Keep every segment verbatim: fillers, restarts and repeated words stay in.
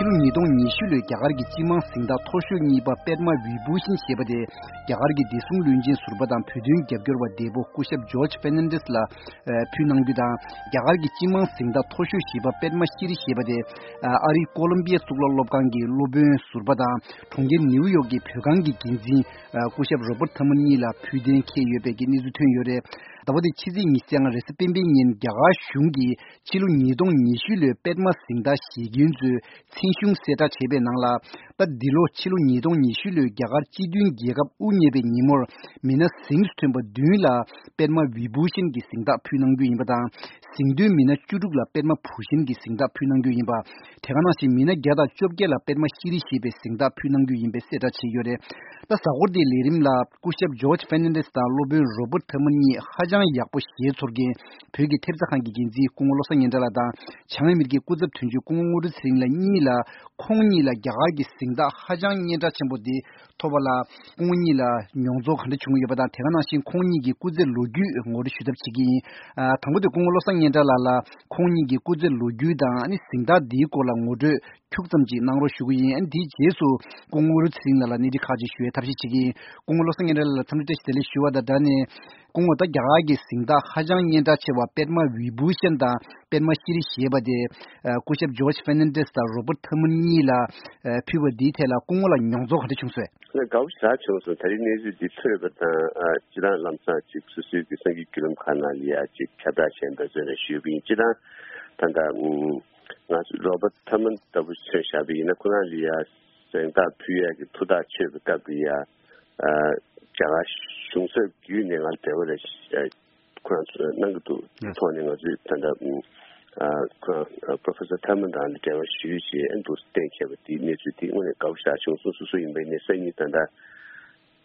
ཕྱི་ལོ་ཉིས་སྟོང་ཉི་ཤུ་ལོའི་རྒྱ་གར་གྱི་སྤྱི་དམངས་གཟེངས་རྟགས་མཐོ་ཤོས་གཉིས་པ་པདྨ་བི་བྷུ་ཤན་ཞེས་པ་དེ། རྒྱ་གར་གྱི་བདེ་སྲུང་བློན་ཆེན་ཟུར་པ་དང་བོད་དོན་རྒྱབ་སྐྱོར་བ་འདས་པོ་སྐུ་ཞབས་ཇོརྗ་ཕེར་ནན་ཌེས་ལ་ཕུལ་གནང་རྒྱུ་དང་། རྒྱ་གར་གྱི་སྤྱི་དམངས་གཟེངས་རྟགས་མཐོ་ཤོས་ཞེས་པ་པདྨ་ཤྲི་རི་ཞེས་པ་དེ། ཨ་རིའི་ཀོ་ལོམ་པི་ཡ་གཙུག་ལག་སློབ་ཁང་གི་སློབ་དཔོན་ཟུར་པ་དང་། གྲོང་ཁྱེར་ནེའུ་ཡོག་གི་བོད་ཁང་གི་འགན་འཛིན་སྐུ་ཞབས་རོ་པར་ཐར་མན་གཉིས་ལ་ཕུལ་གཏན་འཁེལ་ཡོད་པའི་གནས་ཚུལ་ཐོན་ཡོད་རེད། ཟླ་བ་འདིའི་ཕྱི་ཚེས་ཉི་ཤུ་རྩ་ལྔ་རེས་གཟའ་སྤེན་པའི་ཉིན་རྒྱ་གར་གཞུང་གིས་ཕྱི་ལོ་ཉིས་སྟོང་ཉི་ཤུ་ལོའི་པདྨ་གཟེངས་རྟགས་བཞེས་མཁན་ཚོའི་མཚན་གཞུང་གསལ་བསྒྲགས་བྱས་པའི་ནང་ལ། ད་འདི་ལོ་ཕྱི་ལོ་ཉིས་སྟོང་ཉི་ཤུ་ལོའི་རྒྱ་གར་སྤྱི་མཐུན་རྒྱལ་ཁབ་དབུ་བརྙེས་པའི་ཉིན་མོར་མི་སྣ་གཟེངས་སུ་ཐོན་པ་བདུན་ལ་པདྨ་བི་བྷུ་ཤན་གྱི་གཟེངས་རྟགས་ཕུལ་གནང་རྒྱུ་ཡིན་པ་དང་། གཟེངས་ཐོན་མི་སྣ་བཅུ་དྲུག་ལ་པདྨ་བྷུ་ཤན་གྱི་གཟེངས་རྟགས་ཕུལ་གནང་རྒྱུ་ཡིན་པ། དེ་ག་ནང་བཞིན་མི་སྣ་བརྒྱ་དང་བཅོ་བརྒྱད་ལ་པདྨ་ཤྲི་རི་ཞེས་པའི་གཟེངས་རྟགས་ཕུལ་གནང་རྒྱུ་ཡིན་པའི་གསལ་བསྒྲགས་བྱས་ཡོད་རེད། ད་གཟའ་འཁོར་འདིའི་ལས་རིམ་ལ་སྐུ་ཞབས་ཇོརྗ་ཕེར་ནན་ཌེས་དང་སློབ་དཔོན་རོ་པར་ཐར་མན་གཉིས་ཧ་ཅང་ཡག་པོ་ཞེད་ཚོར་མཁན་བོད་ཀྱི་ཐེབས་རྩ་ཁང་གི་འགན་འཛིན་སྐུ་ངོ་བློ་བཟང་སྙན་གྲགས་ལགས་དང་། བྱང་ཨ་མི་རི་ཀའི་སྐུ་ཚབ་དོན་གཅོད་སྐུ་ངོ་དངོས་གྲུབ་ཚེ་རིང་ལགས་གཉིས་ལ། ཁོང་གཉིས་ལ་རྒྱ་གར་གྱི་གཟེངས་རྟགས་ཧ་ཅང་སྙན་གྲགས་ཆེན་པོ་འདི་ཐོབ་པ་ལ་སྐུ་ངོ་གཉིས་ལ་མྱོང་ཚོར་ག་འདྲ་བྱུང་ཡོད་པ་དང་། དེ་ག་ནང་བཞིན་ཁོང་གཉིས་ཀྱི་སྐུ་ཚེ་ལོ་རྒྱུས་ངོ་སྤྲོད་ཞུ་ཐབས་བྱེད་ཀྱི་ཡིན། ཨ། དང་པོ་དེ་སྐུ་ངོ་བློ་བཟང་སྙན་གྲགས་ལགས་ལ་ཁོང་གཉིས་ཀྱི་སྐུ་ཚེ་ལོ་རྒྱུས་དང་། ཨ་ནི་གཟེངས་རྟགས་འདིའི་སྐོར་ལ་ངོ་སྤྲོད་ཁྱུག་ཙམ་ཅིག་གནང་རོགས་ཞུ་གི་ཡིན། ཨ་ནི་དེའི་རྗེས་སུ་སྐུ་ངོ་དངོས་གྲུབ་ཚེ་རིང་ལགས་ལ་གནས་འདྲི་ཁག་ཅིག་ཞུ་བའི་ཐབས་ཤེས་བྱེད་ཀྱི་ཡིན། སྐུ་ངོ་བློ་བཟང་སྙན་གྲགས་ལགས་ལ་འཚམས་འདྲི་བཀྲ་ཤིས་བདེ་ལེགས་ཞུ་བ་དང་སྦྲགས་ནས། སྐུ་ངོ། ད་རྒྱ་གར་གྱི་གཟེངས་རྟགས་ཧ་ཅང་སྙན་གྲགས་ཆེ་བ་པདྨ་བི་བྷུ་ཤན་དང་པདྨ་ཤྲི་རི་ཞེས་པ་དེ། ཨ། སྐུ་ཞབས་ཇོརྗ་ཕེར་ནན་ཌེས་དང་རོ་པར་ཐར་མན་གཉིས་ལ། ཨ། ཕུལ་བ་འདིའི་ཐད་ལ་སྐུ་ངོ་ལ་མྱོང་ཚོར་ག་འདྲ་བྱུང་སོང་། ང་དགའ་པོ་ཞེ་དྲག་བྱུང་སོང་། ད་རིང་གནས་ཚུལ་འདི་ཐོས་པ་དང་། ཨ། སྤྱིར་བཏང་ལམ་སང་ཅིག་སོ་སོའི་གི་སངས་རྒྱས་བརྒྱུད་ལམ་ཁག་ནང་ལ་ཡ་ཅིག་ཁྱབ་བསྒྲགས་བྱས་པ་བཟོས་ནས་ཞུས་པ་ཡིན། སྤྱིར་བཏང་ད་ལྟ་ང་ཚོ་རོ་པར་ཐར་མན་ལྟ་བུ་མཚོན་བཞག་པ་ཡིན་ན། ཁོ་རང་ལ་ཡ་གཟེངས་རྟགས་ཕུལ་ཡ་གི་ཐུགས་ཐག་ཆོད་པའི་སྐབས་ལ་ཡ། ཨ། རྒྱ་གར་གཞུང་ཚབ་བརྒྱུད་ནས་ང་ལ་འབྲེལ་བ་རེ་ཁོ་རང་ཚོས་གནང་གི་འདུག་ཐོག་ནས་ང་ཚོས་ད་ལྟ། ཨ། ཁོ་རང་Professor Thurman དང་ལ་འབྲེལ་བ་ཞུས་བྱས། ཨ། འདུག་གཏན་འཁེལ་བ་དེའི་གནས་ཚུལ་དེ་དངོས་གནས་དགའ་པོ་ཞེ་དྲག་བྱུང་སོང་། སོ་སོ་ཡིན་པ་ཡིན་ནའི་སང་ཉིན་ད་ལྟ།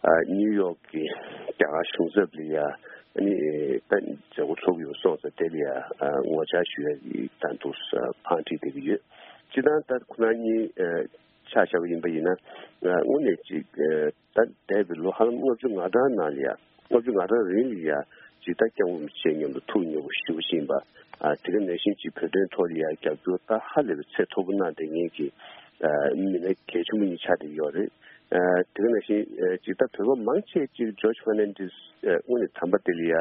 ཨ། ནིའུ་ཡོག་གི་རྒྱ་གར་གཞུང་ཚབ་ལ་ཡ། ཨ་ནི་ད་མཛད་སྒོ་ཚོགས་ཀྱི་ཡོད་སོང་ཙང་དེ་ལ་ཡ། ཨ། ངོ་བཅར་ཞུ་ཡ་གི་ད་འདུག་ཕར་འཁྲིད་བསྡད་ཀྱི་ཡོད། སྤྱིར་བཏང་ད་ཁོ་རང་གཉིས། ཨ། ཆ་བཞག་པ་ཡིན་པ་ཡིན་ན། ཨ། དངོས་གནས་ཅིག་ཨ། ད་འདས་པའི་ལོ་ཧ་ལམ་ལྔ་བཅུ་ང་གྲངས་ནང་ལ་ཡ། ལྔ་བཅུ་ང་གྲངས་རིང་ལ་ཡ། ཅིག་ད་སྐྱབས་མགོན་རིན་པོ་ཆེ་མཉམ་དུ་ཐུགས་མཉེས་པོ་ཞེ་པོ་ཅིག་ཡིན་པ། ཨ། དེ་ག་ནང་བཞིན་ཅིག་བོད་དོན་ཐོག་ལ་ཡ་རྒྱབ་སྐྱོར་ད་ཧ་ལས་པའི་ཚད་མཐོ་པོ་གནང་བསྡད་མཁན་གྱི། ཨ། མི་སྣ་གལ་ཆེན་པོ་གཉིས་ཆགས་བསྡད་ཡོད་རེད། ཨ། དེ་ག་ནང་བཞིན། ཨ། ཅིག་ད་བོད་པ་མང་ཆེ་ཅིག་ཇོརྗ་ཕེར་ནན་ཌེས། ཨ། དངོས་གནས་དམ་པ་དེ་ལ་ཡ་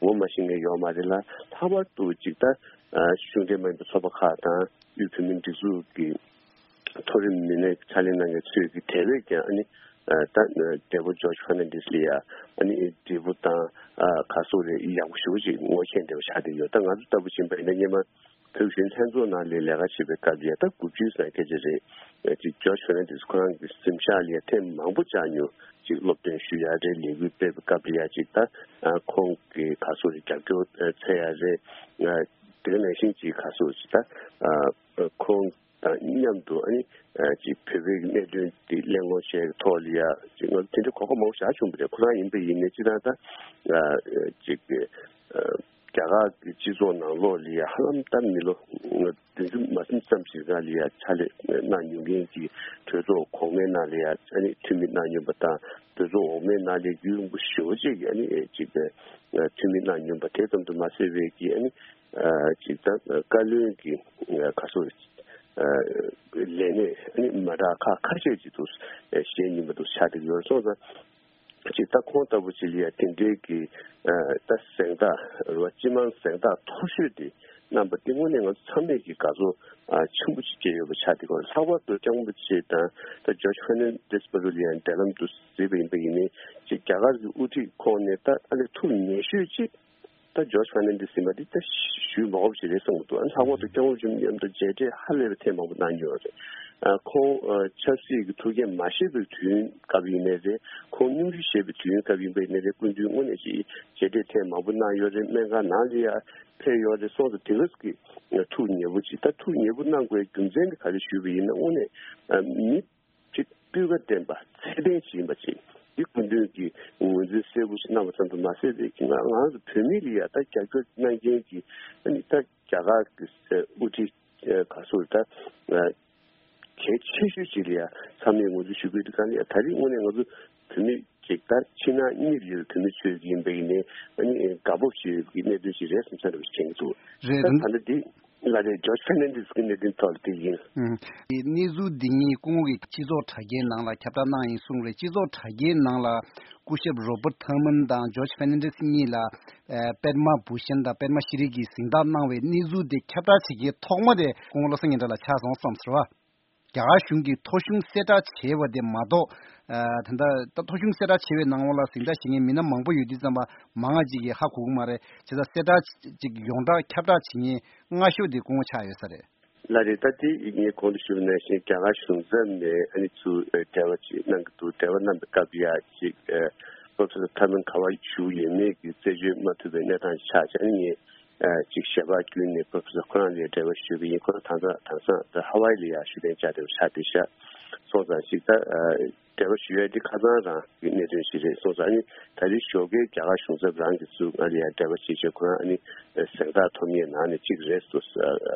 ངོ་མ་ཤེས་མཁན་ཡོད་མ་རེད་ལ། ལྷག་པར་དུ་ཅིག་ད། ཨ། གཞུང་འབྲེལ་མ་ཡིན་པའི་ཚོགས་པ་ཁག་དང་དབུས་བོད་མིའི་སྒྲིག་འཛུགས་ཀྱི་མཐོ་རིམ་མི་སྣའི་ཕྱག་ལས་གནང་མཁན་ཚོས་ཀྱི་དེ་བས་ཀྱང་། ཨ་ནི། ཨ། ད་འདས་པོ་ཇོརྗ་ཕེར་ནན་ཌེས་ལ་ཡ། ཨ་ནི་འབྲས་བུ་དང་། ཨ། ག་སོགས་རེད། ཡག་པོ་ཞེ་པོ་ཅིག་ངོ་ཤེས་འདྲ་བོ་ཆགས་བསྡད་ཡོད། ད་ང་ཚོ་ལྟ་བུ་ཡིན་པ་ཡིན་ན་སྔོན་མ་བོད་གཞོན་ལྷན་ཚོགས་ནང་ལ་ལས་ཀ་བྱེད་པའི་སྐབས་ལ་ཡ། ད་དགུ་བཅུའི་ནང་སྐད་ཆ་རེད། ཨ། ཅིག་ཇོརྗ་ཕེར་ནན་ཌེས་ཁོ་རང་གི་གཟིམ་ཤག་ལ་ཡ་ཐེངས་མང་པོ་བཅར་མྱོང་། ཅིག་སློབ་སྟོན་ཞུ་ཡ་རེད། ལས་འགུལ་སྤེལ་བའི་སྐབས་ལ་ཡ་ཅིག་ད། ཨ། ཁོང་གི་ག་སོགས་རེད། རྒྱབ་སྐྱོར་འཚོལ་ཡ་རེད། ཨ། དེ་ག་ནང་བཞིན་ཅིག་ག་སོགས་ཅིག་ད། ཨ། ཁོང་དང་མཉམ་དུ། ཨ་ནི། ཨ། ཅིག་བོད་པའི་གནད་དོན་འདི་གླེང་སློང་བྱས་ཀྱི་ཐོག་ལ་ཡ། ཅིག་ང་ཚོ་དེ་འདྲའི་གོ་སྐབས་མང་པོ་ཞེ་དྲག་བྱུང་བ་རེད། ཁོ་རང་ཡིན་པ་ཡིན་ནའི་སྤྱིར་བཏང་ད། ཨ། ཅིག་ཨ། རྒྱ་གར་གྱི་སྤྱི་ཚོགས་ནང་ལོགས་ལ་ཡ་ཧ་ལམ་ད་མི་ལོ་བདུན་ཅུ་མ་ཟིན་ཙམ་ཞིག་སྒང་ལ་ཡ་ཕྱག་ལས་གནང་མྱོང་མཁན་གྱི་གྲོས་ཚོགས་གོང་མའི་ནང་ལ་ཡ། ཨ་ནི། འཐུས་མི་གནང་མྱོང་བ་དང་། གྲོས་ཚོགས་འོག་མའི་ནང་ལ་ཡ་རྒྱུན་རིང་པོ་ཞེ་པོ་ཅིག་ཨ་ནི། ཨེ། ཅིག་ཨ། འཐུས་མི་གནང་མྱོང་བ་དེ་ཙམ་དུ་མ་ཟད་པའི་གི། ཨ་ནི། ཨ། ཅིག་ད་བཀའ་བློན་གྱི། ཨ། ག་སོགས། ཨ། ལས་གནས། ཨ་ནི། མ་འདྲ་ཁག་ཁ་ཤས་ཅིག་ཏུ། ཨ། བཞེས་མྱོང་བ་དུ་ཆགས་བསྡད་ཡོད་སོང་ཙང་། ཅིག་ད་ཁོང་ལྟ་བུ་ཅིག་ལ་ཡ་དེ་འདྲའི་གི། ཨ། ད་གཟེངས་རྟགས་རེད་བ། སྤྱི་དམངས་གཟེངས་རྟགས་མཐོ་ཤོས་དེ་གནང་པ་དེ་དངོས་གནས་ང་ཚོ་ཚང་མས་ཀྱི་དགའ་ཚོར། ཨ། ཆེན་པོ་ཅིག་སྐྱེས་ཡོད་པ་ཆགས་བསྡད་ཡོད་རེད། ལྷག་པར་དུ་སྐྱབས་མགོན་རིན་པོ་ཆེ་དང་ད་ཇོརྗ་ཕེར་ནན་ཌེས་བར་དུ་ལ་ཡ་འབྲེལ་ལམ་དུ་གཟིགས་པ་ཡིན་པ་ཡིན་ནའི། ཅིག་རྒྱ་གར་གྱི་དབུ་ཁྲིད་ཁོངས་ནས་ད་ཨ་ནི་ཐུགས་ཉེ་ཤོས་ཅིག་ད་ཇོརྗ་ཕེར་ནན་ཌེས་ཟེར་བ་འདི་ད་ཞུས་མ་དགོས་པ་ཞིག་རེད་བསམ་གྱི་འདུག་ཨ། ལྷག་པར་དུ་སྐྱབས་མགོན་རིན་པོ་ཆེ་མཉམ་དུ་མཇལ་འཕྲད་ཧ་ལས་པའི་ཐེངས་མང་པོ་གནང་མྱོང་རེད། ཨ། ཁོང་། ཨ། ཆབ་སྲིད་ཀྱི་ཐུགས་འགན་མ་བཞེས་པའི་དུས་ཡུན་སྐབས་ཡིན་ནའི་རེད། ཁོང་སྙུང་གཞི་བཞེས་པའི་དུས་ཡུན་སྐབས་ཡིན་པ་ཡིན་ནའི་རེད། སྐུ་མདུན་དངོས་གནས་ཅིག་མཇལ་འཕྲད་ཐེངས་མང་པོ་གནང་ཡོད་རེད། སྨན་ཁང་ནང་ལ་ཡ་ཕེབས་ཡོད་རེད། སོང་ཙང་དེ་ག་གི་ཐུགས་ཉེ་པོ་ཅིག་ད་ཐུགས་ཉེ་པོ་གནང་དགོས་རྒྱུ་མཚན་དེ་ག་རེ་ཞུས་པ་ཡིན་ན། དངོས་གནས། ཨ། མི་ཅིག་སྤུས་ཀ་ལྡན་པ་ཚད་ལྡན་ཞིག་ཡིན་པ་ཅིག་འདི་སྐུ་མདུན་གྱིས་ངོས་འཛིན་གསལ་པོ་ཞིག་གནང་བ་ཙམ་དུ་མ་ཟད་པའི་གི་ང་ང་རང་ཚོ་བོད་མི་ལ་ཡ་ད་རྒྱབ་སྐྱོར་གནང་མཁན་གྱི། ཨ་ནི་ད་རྒྱ་གར་གྱི། ཨ། དབུ་ཁྲིད། ཨ། ག་སོགས་ད། ཨ། གལ་ཆེ་ཤོས་ཅིག་ལ་ཡ་ཚང་མས་ངོས་འཛིན་ཞུ་དགོས་དུས་སྒང་ལ་ཡ། ད་རེས་དངོས་གནས་ང་ཚོ་བོད་མི་ཅིག་ད་ཕྱི་ནང་གཉིས་ལ་ཡོད་པའི་བོད་མི་ཚོས་ཡིན་པ་ཡིན་ནའི། ཨ་ནི་དགའ་སྤོབས་བྱེད་ཀྱི་གནད་དོན་ཞིག་རེད་བསམ་ས་འདྲ་བོ་ཞིག་དྲན་གྱི་འདུག་རེད། ད་ད་ལྟ་འདི། ལགས་རེད། ཇོརྗ་ཕེར་ནན་ཌེས་ཀྱི་གནད་དོན་ཐོག་ལ་དེ་ཡིན། ཨུམ། དེ་གནས་ཚུལ་འདི་ཉིད་སྐུ་ངོ་གིས་སྤྱི་ཚོགས་དྲ་རྒྱའི་ནང་ལ་ཁྱབ་བསྒྲགས་གནང་ཡིན་གསུངས་རེད། སྤྱི་ཚོགས་དྲ་རྒྱའི་ནང་ལ་སྐུ་ཞབས་རོ་བར་ཐར་མན་དང་ཇོརྗ་ཕེར་ནན་ཌེས་གཉིས་ལ་ཨ་པདྨ་བྷུ་ཤན་དང་པདྨ་ཤྲི་གི་གཟེངས་རྟགས་གནང་བའི་གནས་ཚུལ་དེ་ཁྱབ་བསྒྲགས་བྱེད་མཁན་ཐོག་མ་དེ་སྐུ་ངོ་བློ་བཟང་སྙན་གྲགས་ལགས་ཆགས་སོང་བསམ་ཟེར་བ། རྒྱ་གར་གཞུང་གིས་ཐོ་གཞུང་གསལ་བསྒྲགས་བྱས་པ་དེ་མ་གཏོགས། ཨ་ད་ལྟ་ད་ཐོ་གཞུང་གསལ་བསྒྲགས་བྱས་པའི་ནང་ལོགས་ལ་གཟེངས་རྟགས་བཞེས་མཁན་མི་སྣ་མང་པོ་ཡོད་དུས་ཙམ་པ་མང་ང་ཅིག་གིས་ཧ་གོ་གི་མ་རེད། བྱས་ཙང་གསལ་བསྒྲགས་ཅིག་ཡོངས་གྲགས་ཁྱབ་བསྒྲགས་བྱེད་མཁན་སྔ་ཤོས་དེ་སྐུ་ངོ་ཆགས་ཡོད་ས་རེད། ལགས་རེད། ད་དེ་ངས་གོང་དུ་ཞུས་པ་ནང་བཞིན་རྒྱ་གར་གཞུང་ཚབ་ནས་ཨ་ནི་ཚུར་འབྲེལ་བ་ཅིག་གནང་གི་འདུག་འབྲེལ་བ་གནང་པའི་སྐབས་ཡ་ཅིག་པོ་རོ་ཕེ་སར་ཐར་མན་ག་པར་བཞུགས་ཡོད་མེད་ཀྱི་རྩད་གཅོད་མ་ཐུབ་པའི་གནས་སྟངས་ཤིག་ཆགས་བྱས། ཨ་ནི་ངས་ཨ་ཅིག་ཞལ་པར་བརྒྱུད་ནས་པོ་རོ་ཕེ་སར་ཁོ་རང་ལ་འབྲེལ་བ་ཞུས་པ་ཡིན། ཁོ་རང་དེང་སང་དེང་སང་ད་ཧ་ཝའི་ལ་ཡ་བཞུགས་གདན་འཇགས་བསྡད་པ་ཆགས་བསྡད་ཤག་སོང་ཙང་ཅིག་ད་ཨ་འབྲེལ་བ་ཞུ་ཡ་འདི་ཁ་སང་རང་གི་གནད་དོན་ཞིག་རེད། སོང་ཙང་ཨ་ནི་ད་རེས་ཞོགས་ཀའི་རྒྱ་གར་གཞུང་ཚབ་རང་གིས་ཚུར་ང་ལ་ཡ་འབྲེལ་བ་བྱེད་བྱས་ཁོ་རང་ཨ་ནི་གཟེངས་རྟགས་ཐོབ་མཁན་ནང་ནས་གཅིག་རེད་ཟེར་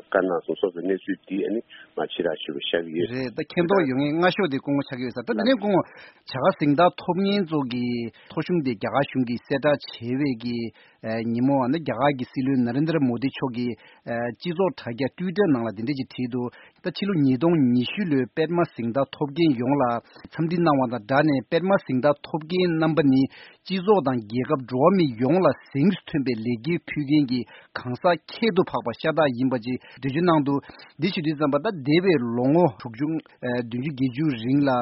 བཀའ་གནང་སོང་། སོང་ཙང་གནས་ཚུལ་འདི་ཨ་ནི་མ་ཕྱི་ར་ཞུ་བ་ཤར་གྱི་ཡོད། རེད། ད་མཁྱེན་རྟོགས་ཡོད་མཁན་སྔ་ཤོས་དེ་སྐུ་ངོ་ཆགས་ཀྱི་ཡོད་ས། ད་དེ་ནས་སྐུ་ངོ་བྱ་དགའ་གཟེངས་རྟགས་ཐོབ་མཁན་ཚོ་གི་ཐོ་གཞུང་དེ་རྒྱ་གར་གཞུང་གིས་གསལ་བསྒྲགས་བྱས་པའི་གི་ཨ་ཉིན་མོ་ཨ་ནི་རྒྱ་གར་གྱི་སྲིད་བློན་ན་རེན་དྲ་མོ་དི་མཆོག་གིས་ཨ་སྤྱི་ཚོགས་དྲ་རྒྱ་ཊུའི་ཊར་ནང་ལ་འདི་འདྲ་ཅིག་བྲིས་འདུག་ད་ཕྱི་ལོ་ཉིས་སྟོང་ཉི་ཤུ་ལོའི་པདྨ་གཟེངས་རྟགས་ཐོབ་མཁན་ཡོངས་ལ་འཚམས་འདྲི་གནང་བ་དང་སྦྲགས་ནས། པདྨ་གཟེངས་རྟགས་ཐོབ་མཁན་རྣམ་པ་ནི་སྤྱི་ཚོགས་དང་རྒྱལ་ཁབ་འགྲོ་བ་མི་ཡོངས་ལ་གཟེངས་སུ་ཐོན་པའི་ལེགས་སྐྱེས་ཕུལ་མཁན་གྱི་གང་ཟག་ཁྱད་དུ་འཕགས་པ་ཤ་སྟག་ཡིན་པ་ཅིག་འགྲེལ་བརྗོད་གནང་འདུག་འདི་ཞུ་དུས་ཙམ་པ་ད་འདས་པའི་ལོ་ངོ་དྲུག་ཅུ་ཨ་བདུན་ཅུ་བརྒྱད་ཅུ་རིང་ལ་ཨ་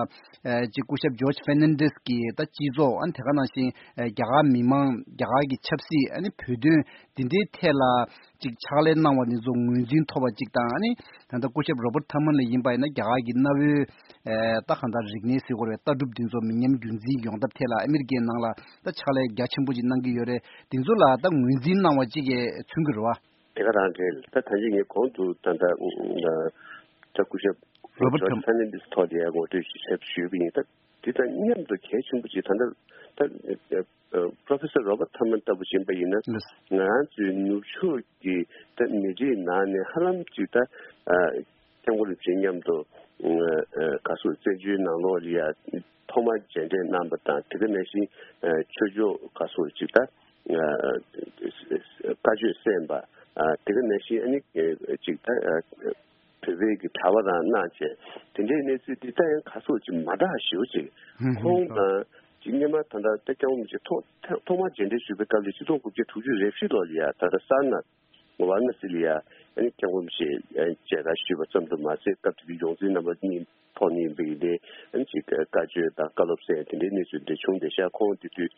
ཅིག་སྐུ་ཞབས་ཇོརྗ་ཕེར་ནན་ཌེས་ཀྱིས་ད་སྤྱི་ཚོགས་ཨ་ནི་དེ་ག་ནང་བཞིན་ཨ་རྒྱ་གར་མི་མང་རྒྱ་གར་གྱི་ཆབ་སྲིད་ཨ་ནི་བོད་དོན་འདི་འདྲའི་ཐད་ལ་ཅིག་ཕྱག་ལས་གནང་བ་འདི་ཚོ་ངོས་འཛིན་ཐོབ་པ་ཅིག་དང་། ཨ་ནི་ད་ལྟ་སྐུ་ཞབས་རོ་བར་ཐར་མན་ལ་ཡིན་པ་ཡིན་ན་རྒྱ་གར་གྱི་གནའ་བོའི་ཨ་ད་གང་ལྟར་རིག་གནས་ཟེར་དགོས་རེད། ལྟ་གྲུབ་འདི་ཚོ་མི་ཉམས་རྒྱུན་འཛིན་ཡོང་ཐབས་ཐད་ལ་ཨ་མི་རི་ཀའི་ནང་ལ་ད་ཕྱག་ལས་རྒྱ་ཆེན་པོ་ཅིག་གནང་གི་ཡོད་རེད། འདི་ཚོ་ལ་ད་ངོས་འཛིན་གནང་བ་ཅིག་གིས་མཚོན་གྱི་རེད་བ། དེ་ག་རང་རེད། ད་ད་ཅི་ངས་གོང་དུ་ད་ལྟ་ད་སྐུ་ཞབས་རོ་བར་ཐར་ཇོརྗ་ཕེར་ནན་ཌེས་ཐོག་ལ་ངོ་སྤྲོད་ཞིག་བྱས་ཞུས་པ་ཡིན། ད་དེ་དང་མཉམ་དུ་གལ་ཆེན་པོ་ཅིག་ད་ལྟ་ད་པོ་རོ་ཕེ་སར་རོ་བར་ཐར་མན་ལྟ་བུ་ཡིན་པ་ཡིན་ན། ལགས། ང་རང་ཚོའི་ནུབ་ཕྱོགས་ཀྱི་ད་མི་རིགས་ནང་ནས་ཧ་ལམ་ཅིག་ད་ཨ་སྐྱབས་མགོན་རིན་པོ་ཆེ་མཉམ་དུ་ཨ་ག་སོ་བཙན་བྱོལ་ནང་ལོགས་ལ་ཡ་ཐོག་མར་མཇལ་འཕྲད་གནང་པ་དང་། དེ་ག་ནང་བཞིན་ཨ་ཆོས་ཕྱོགས་ག་སོ་ཅིག་ད་ཨ་བཀའ་ཆོས་གསན་པ། ཨ་དེ་ག་ནང་བཞིན་ཨ་ནི་ཅིག་ད་ཨ་བོད་པའི་གི་གྲྭ་པ་རང་གནང་བྱས། དེ་འདྲའི་གནས་ཚུལ་འདི་ད་ཡང་ག་སོ་ཅིག་མ་འདྲ་ཞེ་པོ་ཅིག་ཧུམ་ཧུམ། ཁོང་དང་ཅིག་སྔོན་མ་ད་ལྟ་ད་སྐྱབས་མགོན་རིན་པོ་ཆེ་ཐོག་ཐོག་མར་མཇལ་འཕྲད་ཞུས་པའི་སྐབས་ལ་ཆིག་སྟོང་དགུ་བརྒྱ་དྲུག་ཅུ་རེ་བཞི་ལོ་ལ་ཡ་ད་ལྟ་སར་ནཱཐ་ཝཱ་ར་ཎ་སི་ལ་ཡ་ཨ་ནི་སྐྱབས་མགོན་རིན་པོ་ཆེ་མཇལ་ཁ་ཞུས་པ་ཙམ་དུ་མ་ཟད། སྐབས་དེ་དུས་ཡོངས་འཛིན་རྣམ་པ་གཉིས་ཐོག་ནས་ཡིན་པ་ཡིན་ཏེ། ཨ་ནི་ཅིག་བཀའ་ཆོས་དང་བཀའ་སློབ་གསན་དེ་འདྲའི་གནས་ཚུལ་འདི་བྱུང་བསྡད་ཤག་ཁོང་དེ་དུས་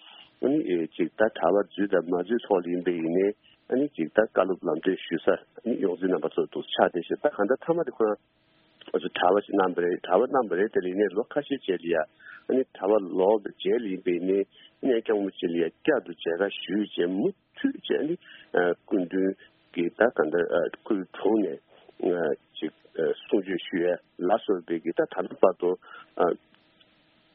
ཨ་ནི་ཨེ་ཅིག་ད་གྲྭ་པ་འཛུལ་དང་མ་འཛུལ་ཐོག་ལ་ཡིན་པ་ཡིན་ནའི། ཨ་ནི་ཅིག་ད་བཀའ་སློབ་ལམ་སྟོན་ཞུ་ས་ཨ་ནི་ཡོངས་འཛིན་རྣམ་པ་ཚོ་འདུག་ཆགས་བསྡད་ཤག་ད་གང་ལྟར་མཐའ་མ་དེ་ཁོ་རང་ཨ་ཚོ་གྲྭ་པ་ཞིག་གནང་བ་རེད། གྲྭ་པ་གནང་བ་རེད། དེ་ལ་ཡིན་ནའི་ལོ་ཁ་ཤས་རྗེས་ལ་ཡ་ཨ་ནི་གྲྭ་པ་ལོག་པའི་རྗེས་ལ་ཡིན་པ་ཡིན་ནའི། ཨ་ནི་སྐྱབས་མགོན་རིན་པོ་ཆེ་ལ་ཡ་བསྐྱར་དུ་མཇལ་ཁ་ཞུས་བྱས་མུ་མཐུད་བྱས་ནས་ཨ་སྐུ་མདུན་གྱི་ད་ག་འདྲ་ཨ་སྐུའི་དྲུང་ནས་ཨ་ཅིག་ཨ་གསུང་ཆོས་ཞུ་ཡ་ལ་སོགས་པའི་གི་ད་ད་ལྟ་བར་དུ་ཨ་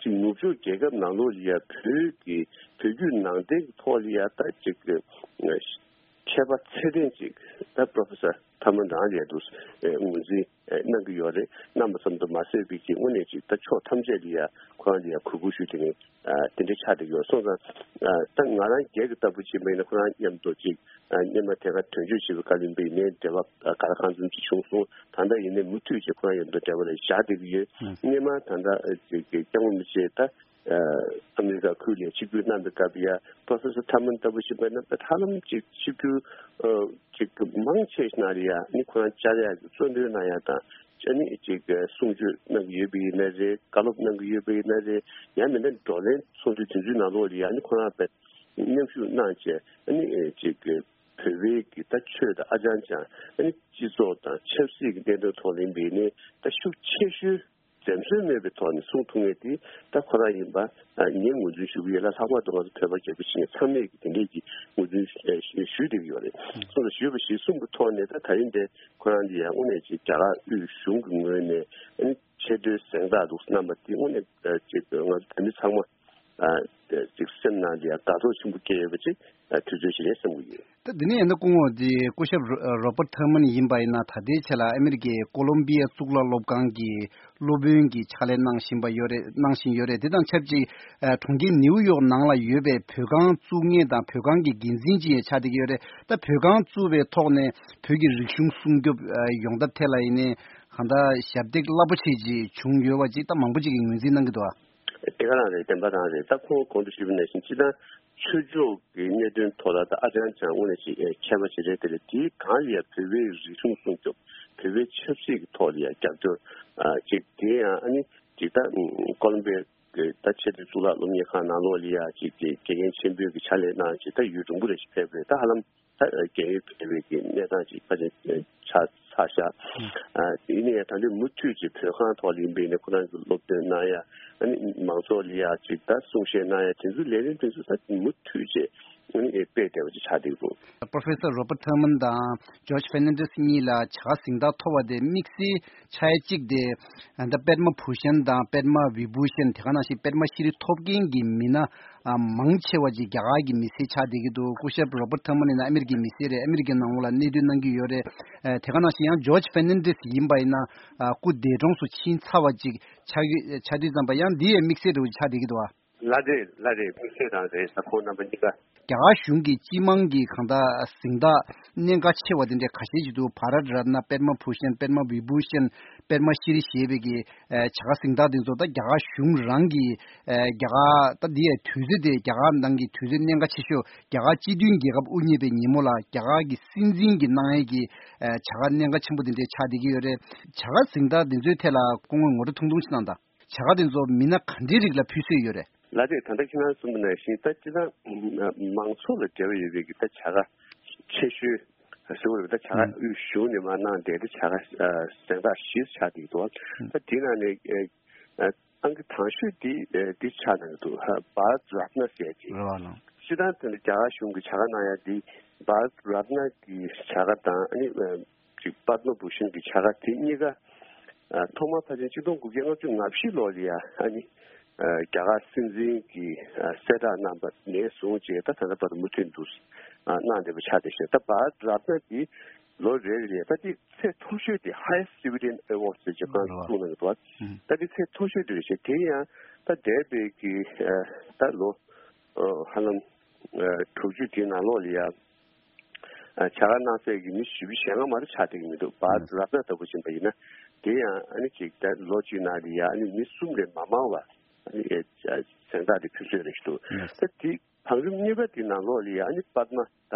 ཅིག་ནུབ་ཕྱོགས་རྒྱལ་ཁབ་ནང་ལོགས་ལ་ཡ་བོད་ཀྱི་བོད་བརྒྱུད་ནང་བསྟན་གྱི་ཐོག་ལ་ཡ་ད་ཅིག་ཨ་མཁས་པ་ཚད་ལྡན་ཅིག་ད་པོ་རོ་ཕེ་སར་ཐར་མན་རང་ལ་ཡ་འདུག་ངོས་འཛིན་གནང་གི་ཡོད་རེད། གནང་བ་ཙམ་དུ་མ་ཟད་པའི་གི་དངོས་གནས་ཅིག་ད་ཕྱོགས་ཐམས་ཅད་ལ་ཡ་ཁོ་རང་ལ་ཡ་གུས་བཀུར་ཞུ་དེ་ནས་དེ་འདྲ་ཆགས་བསྡད་ཡོད། སོང་ཙང་ད་ང་རང་སྒེར་གྱི་ལྟ་བུ་བྱས་པ་ཡིན་ན་ཁོ་རང་མཉམ་དུ་ཅིག་སྔོན་མ་དེ་ག་དོན་གཅོད་བྱེད་པའི་སྐབས་ཡིན་པ་ཡིན་ནའི་འབྲེལ་བ་ག་ལ་གང་འཚམ་ཅིག་བྱུང་སོང་། ད་ལྟ་ཡིན་ནའི་མུ་མཐུད་ཅིག་ཁོ་རང་མཉམ་དུ་འབྲེལ་བ་ལ་བཞག་བསྡད་ཀྱི་ཡོད། སྔོན་མ་ད་ལྟ་ཅིག་གི་སྐྱབས་མགོན་རིན་པོ་ཆེ་ད་ཨ་མི་རི་ཀ་ཁུལ་ལ་ཆིབས་བསྒྱུར་གནང་པའི་སྐབས་ཡ་པོ་རོ་ཕེ་སར་ཐར་མན་ལྟ་བུ་ཞིག་ཡིན་པ་ན་ཧ་ལམ་ཅིག་ཆིབས་བསྒྱུར་ཨ་ཅིག་མང་ཆེ་ཤོས་ནང་ལ་ཡ་ཨ་ནི་ཁོ་རང་བཅར་ཡག་གི་གཙོ་འདོན་གནང་ཡག་དང་། ཨ་ནི་ཅིག་གསུང་ཆོས་གནང་གི་ཡོད་པ་ཡིན་ན་རེད། བཀའ་སློབ་གནང་གི་ཡོད་པ་ཡིན་ན་རེད། ཡང་མིན་ན་བགྲོ་གླེང་ཚོགས་འདུ་དེ་ཚོའི་ནང་ལོགས་ལ་ཡ་ཨ་ནི་ཁོ་རང་དཔེ་མཉམ་ཞུགས་གནང་བྱས། ཨ་ནི་ཅིག་བོད་པའི་གི་ད་ཆོས་དང་ཨ་ཅང་ཅང་། ཨ་ནི་སྤྱི་ཚོགས་དང་ཆབ་སྲིད་ཀྱི་གནད་དོན་ཐོག་ལ་ཡིན་པ་ཡིན་ནའི་ད་ཤུགས་ཆེ་ཤོས་འཛེམ་ཟོན་མེད་པའི་ཐོག་ནས་གསུང་ཐུབ་མཁན་དེ་ད་ཁོ་རང་ཡིན་པ་ངས་ངོས་འཛིན་ཞུ་གི་ཡོད་ལ། ལྷག་པར་དུ་ང་ཚོ་བོད་པ་རྒྱ་བོད་ཕྱི་ནས་ཚང་མས་ཀྱི་དེ་འདྲས་ཀྱི་ངོས་འཛིན་ཞུ་བསྡད་ཀྱི་ཡོད་རེད། སོང་ཙང་ཞུས་པ་ཞིག་གསུངས་པའི་ཐོག་ནས་ད་ད་རིང་འདི་ཁོ་རང་འདི་ཡང་དངོས་གནས་ཅིག་རྒྱ་གར་དབུས་གཞུང་གི་ངོས་ནས་ཨ་ནི་ཆེས་མཐོའི་གཟེངས་རྟགས་འདུག་གནང་བ་འདི་དངོས་གནས་ཅིག་ང་ཚོ་བོད་མི་ཚང་མ་ ཨ་ཅིག་སེམས་ནང་ལ་ཡ་དགའ་ཚོར་ཆེན་པོ་སྐྱེ་ཡོད་པ་ཅིག་ཨ་དུས་ཚོད་ཅིག་རེད་བསམ་གྱི་ཡོད། ད་འདི་ནས་ཡིན་ན་སྐུ་ངོ་འདི་སྐུ་ཞབས་རོ་རོ་པར་ཐར་མན་ཡིན་པ་ཡིན་ན་ད་ལྟའི་ཆ་ལ་ཨ་མི་རི་ཀའི་ཀོ་ལོམ་བི་ཡ་གཙུག་ལག་སློབ་ཁང་གི་སློབ་དཔོན་གྱི་ཕྱག་ལས་གནང་བཞིན་པ་ཡོད་རེད། གནང་བཞིན་ཡོད་རེད། དེ་དང་ཆབས་ཅིག་ཨ་གྲོང་ཁྱེར་ནེའུ་ཡོག་ནང་ལ་ཡོད་པའི་བོད་ཁང་བཙུགས་མཁན་དང་བོད་ཁང་གི་འགན་འཛིན་ཅིག་ཡང་ཆགས་བསྡད་ཀྱི་ཡོད་རེད། ད་བོད་ཁང་བཙུགས་པའི་ཐོག་ནས་བོད་ཀྱི་རིག་གཞུང་སྲུང་སྐྱོབ་ཨ་ཡོང་ཐབས་ཐད་ལ་ཡིན་ནའི་གང་ལྟར་ཞབས་འདེགས་རླབས་པོ་ཆེ་ཅིག་བྱུང་ཡོད་པ་ཅིག་ད་མང་པོ་ཅིག་གིས་ངོས་འཛིན་གནང་གི་འདུག་ཨ། དེ་ག་རང་རེད། བདེན་པ་རང་རེད། ད་ཁོང་གོང་དུ་ཞུས་པ་ནང་བཞིན་སྤྱི་བཏང་ཆོས་ཕྱོགས་ཀྱི་གནད་དོན་ཐོག་ལ་ད་ཨ་ཅང་ཅང་དངོས་གནས་ཅིག་ཨེ་མཁས་པ་ཞིག་རེད། དེ་ལས་དེའི་སྒང་ལ་ཡ་བོད་པའི་རིག་གཞུང་སྲུང་སྐྱོབ་བོད་པའི་ཆབ་སྲིད་ཀྱི་ཐོག་ལ་ཡ་རྒྱབ་སྐྱོར་ཨ་ཅིག་དེ་ཡང་ཨ་ནི་ཅིག་ད་ཀོ་ལོམ་བི་ཡ་གི་ད་ཆེས་མཐོའི་གཙུག་ལག་སློབ་གཉེར་ཁང་ནང་ལོགས་ལ་ཡ་ཅིག་གི་དགེ་རྒན་ཆེན་པོའི་གི་ཕྱག་ལས་གནང་ཅིག་ད་ཡུན་རིང་པོ་རེ་ཞིག་ཕེབས་རེད། ད་ཧ་ལམ་ད་རྒས་ཡོལ་ཕེབས་པའི་གི་གནས་སྟངས་ཅིག་ཕལ་ཆེར་ཆགས་ཚར་ཤག་ཨ་ཡིན་ནའི་ད་ལྟའི་མུ་མཐུད་ཅིག་བོད་ཁང་ཐོག་ལ་ཡིན་པའི་ནས་ཁོ་རང་གི་སློབ་སྟོན་གནང་ཡ། ཨ་ནི་མང་ཚོགས་ལ་ཡ་ཅིག་ད་གསུང་བཤད་གནང་ཡ་དེ་ཚོའི་ལས་རིམ་དེ་ཚོ་ད་མུ་མཐུད་ཅིག་ཨ་ནི་སྤེལ་བསྡད་པ་ཅིག་ཆགས་བསྡད་ཀྱི་འདུག Professor Robert Thurman དང་George Fernandez གཉིས་ལ་བྱ་དགའ་གཟེངས་རྟགས་ཐོབ་པ་དེ་དམིགས་བསལ་ཆགས་ཡ་གཅིག་དེ་ད་པདྨ་བྷུ་ཤན་དང་པདྨ་བི་བྷུ་ཤན་དེ་ག་ནང་བཞིན་པདྨ་ཤྲི་ཐོབ་མཁན་གྱི་མི་སྣ་ཨ་མང་ཆེ་བ་ཅིག་རྒྱ་གར་གྱི་མི་སེར་ཆགས་བསྡད་ཀྱི་འདུག་སྐུ་ཞབས་Robert Thurman ཡིན་ན་ཨ་མི་རི་ཀའི་མི་སེར་རེད། ཨ་མི་རི་ཀའི་ནང་ལོགས་ལ་གནས་སྡོད་གནང་གི་ཡོད་རེད། ཨ་དེ་ག་ནང་བཞིན་ཡང་George Fernandez ཡིན་པ་ཡིན་ན་ཨ་སྐུ་འདས་གྲོངས་སུ་ཕྱིན་ཚར་བ་ཅིག་ཆགས་ཀྱི་ཆགས་དུས་ཙམ་པ་ཡང་འདི་ཡང་དམིགས་བསལ་འདྲ་བོ་ཅིག་ཆགས་བསྡད་ཀྱི་འདུག་ཨ། ལགས་རེད། ལགས་རེད། དམིགས་བསལ་རང་རེད། ད་ཁོང་རྣམ་པ་གཉིས་ཀ་རྒྱ་གར་གཞུང་གི་སྤྱི་དམངས་ཀྱི་གང་ལྟར་གཟེངས་རྟགས་གནད་འགག་ཆེ་བ་དེ་འདྲའི་ཁ་ཤས་ཤིག་འདུག་བྷ་རཏ་རཏ་ན། པདྨ་བྷུ་ཤན། པདྨ་བི་བྷུ་ཤན། པདྨ་ཤྲི་ཞེས་པའི་གི་ཨ་བྱ་དགའ་གཟེངས་རྟགས་དེ་ཚོ་ད་རྒྱ་གར་གཞུང་རང་གི་ཨ་རྒྱ་གར་ད་འདི་ཡའི་དུས་ཚོད་དེ་རྒྱ་གར་ནང་གི་དུས་ཚོད་གནད་འགག་ཆེ་ཤོས་རྒྱ་གར་སྤྱི་མཐུན་རྒྱལ་ཁབ་དབུ་བརྙེས་པའི་ཉིན་མོ་ལ་རྒྱ་གར་གྱི་སྲིད་འཛིན་གྱིས་གནང་ཡས་ཀྱི་ཨ་བྱ་དགའ་གནད་འགག་ཆེན་པོ་དེ་འདྲའི་ཆགས་བསྡད་ཀྱི་ཡོད་རེད། བྱ་དགའ་གཟེངས་རྟགས་དེ་ཚོའི་ཐད་ལ་སྐུ་ངོས་ངོ་སྤྲོད་ཐུང་ཐུང་ཞིག་གནང་དང་། བྱ་དགའ་དེ་ཚོ་མི་སྣ་ག་འདྲའི་རིགས་ལ་ཕུལ་སྲོལ་ཡོད་རེད། ལགས་རེད། ད་ལྟ་ཁྱེད་རང་གསུངས་པ་ནང་བཞིན་ད་སྤྱིར་བཏང་མང་ཚོགས་ལ་འབྲེལ་བ་ཡོད་པའི་གི་ད་བྱ་དགའ་ཆེ་ཤོས་ཟེར་བ་རེད། ད་བྱ་དགའ་ཨུ་གཞུང་ནས་མར་གནང་བསྡད་དེ་བྱ་དགའ་གཟེངས་རྟགས་བཞི་ཆགས་བསྡད་ཀྱི་འདུག་ད་དེ་ནང་ནས་ཨང་ཀི་དང་ཤོས་འདི་འདི་ཆགས་གནང་གི་འདུག་བྷ་རཏ་རཏ་ན་ཟེར་གྱི། རེད་བ་ལགས། སྤྱིར་བཏང་དེ་ནི་རྒྱ་གར་གཞུང་གི་བྱ་དགའ་གནང་ཡ་འདི་བྷ་རཏ་རཏ་ན་གི་བྱ་དགའ་དང་ཨ་ནི་ཅིག་པདྨ་བྷུ་ཤན་གྱི་བྱ་དགའ་དེ་གཉིས་ཀ་ཨ་ཐོག་མར་ཕལ་ཆེར་ཆིག་སྟོང་དགུ་བརྒྱ་ལྔ་བཅུ་ང་བཞི་ལོ་ལ་ཡ་ཨ་ནི་ཨ་རྒྱ་གར་སྲིད་འཛིན་གྱིས་ཨ་གསལ་བསྒྲགས་གནང་པ་ནས་བཟུང་བྱས་ད་ད་ལྟ་བར་དུ་མུ་མཐུད་དུ་ཨ་གནང་བསྡད་པ་ཆགས་བསྡད་ཤག་ད་བྷ་རཏ་རཏ་ན་འདི་ལོ་རེ་རེ་ལ་ད་འདི་ཚད་མཐོ་ཤོས་དེ་highest civilian award ཟེར་གྱི་སྒང་བཙུགས་གནང་གི་འདུག་ད་འདི་ཚད་མཐོ་ཤོས་དེ་རེད་ཤག་དེ་ཡང་ད་འདས་པའི་གི་ཨ་ད་ལོ་ཨ་ཧ་ལམ་ཨ་དྲུག་ཅུ་དེའི་ནང་ལོགས་ལ་ཡ། བྱ་དགའ་གནང་སའི་གི་མི་ཞེ་པོ་ཞེ་ལྔ་མ་གཏོགས་ཆགས་བསྡད་ཀྱི་མི་འདུག་བྷ་རཏ་རཏ་ན་ལྟ་བུ་ཕྱིན་པ་ཡིན་ན། དེ་ཡང་ཨ་ནི་ཅིག་ད་ལོ་གཅིག་ནང་ལ་ཡ་ཨ་ནི་མི་གསུམ་ལས་མ་མང་བ་ཨ་ནི་གཟེངས་རྟགས་དེ་ཕུལ་སྲོལ་རེད་ཞུ་འདུག་ད་དེ་བང་རིམ་གཉིས་པ་དེ་ནང་ལོགས་ལ་ཡ་ཨ་ནི་པདྨ་ད་